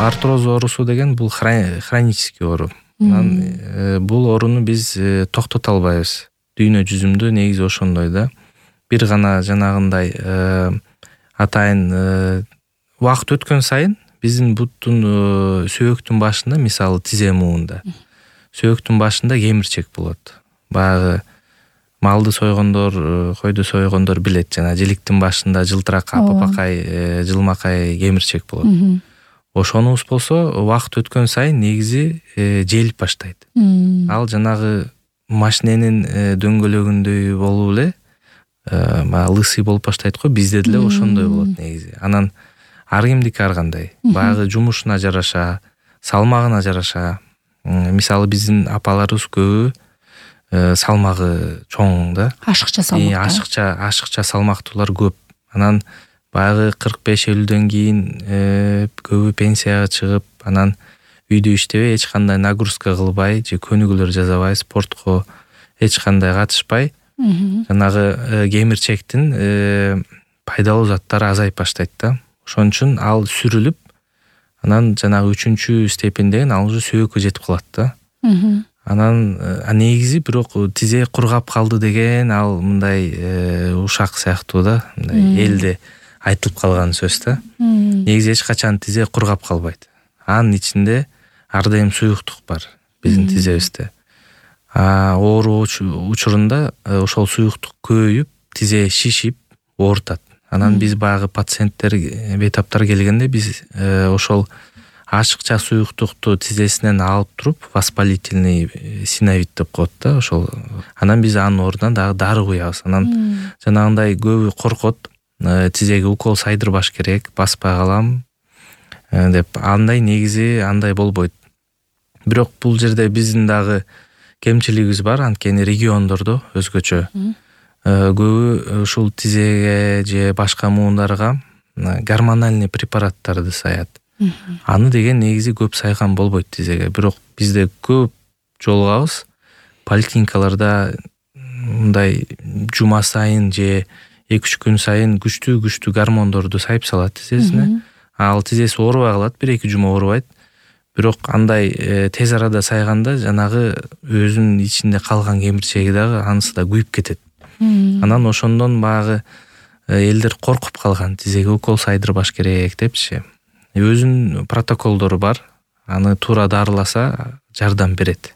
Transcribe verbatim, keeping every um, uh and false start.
артроз оорусу деген бул хронический оору. Анан бул ооруну биз токтото албайбыз. Дүйнө жүзүндө негизи ошондой да. Бир гана жанагындай атайын убакыт өткөн сайын биздин буттун сөөктүн башында, мисалы тизе муунда, сөөктүн башында кемирчек болот. Баягы малды сойгондор, койду сойгондор билет, жана жиликтин башында жылтырак апапакай, жылмакай кемирчек болот. Ошонубуз болсо убакыт өткөн сайын негизи желип баштайт. Ал жанагы машиненин дөңгөлөгүндөй болуп эле баягы лысый болуп баштайт го, бизде деле ошондой болот негизи. Анан ар кимдики ар кандай. Баягы жумушуна жараша, салмагына жараша. Мисалы биздин апаларыбыз көбү салмагы чоң да. Ашыкча салмактуу. Ашыкча, ашыкча салмактуулар көп. Анан баягы кырк беш элүүдөн кийин көбү пенсияга чыгып, анан үйдө иштебей, эч кандай нагрузка кылбай же көнүгүүлөр жасабай, спортко эч кандай катышпай, жанагы кемирчектин пайдалуу заттары азайып баштайт да. Ошон үчүн ал сүрүлүп, анан жанагы үчүнчү степень деген ал уже сөөккө жетип калат да. Анан негизи бирок тизе кургап калды деген ал мындай ушак сыяктуу да, мындай элде айтылып калган сөз да. Негизи эч качан тизе кургап калбайт. Анын ичинде ар дайым суюктук бар биздин тизебизде. Оору учурунда ошол суюктук көбөйүп, тизе шишип, оорутат. Анан биз баягы пациенттер, бейтаптар келгенде биз ошол ашыкча суюктукту тизесинен алып туруп, воспалительный синовит деп коет да, ошол. Анан биз анын ордуна дагы дары куябыз. Анан жанагындай көбү коркот, тизеге укол сайдырбаш керек, баспай калам деп. Андай негизи андай болбойт. Бирок бул жерде биздин дагы кемчилигибиз бар, анткени региондордо өзгөчө. Көбү ушул тизеге же башка муундарга гормональный препараттарды саят. Аны деген негизи көп сайган болбойт тизеге. Бирок бизде көп жолугабыз поликлиникаларда мындай жума сайын же эки үч күн сайын күчтүү-күчтүү гормондорду сайып салат тизесине. Ал тизеси оорубай калат, бир эки жума оорубайт. Бирок андай тез арада сайганда жанагы өзүнүн ичинде калган кемирчеги дагы анысы да күйүп кетет. Анан ошондон баягы элдер коркуп калган, тизеге укол сайдырбаш керек депчи. Өзүнүн протоколдору бар. Аны туура дарыласа жардам берет.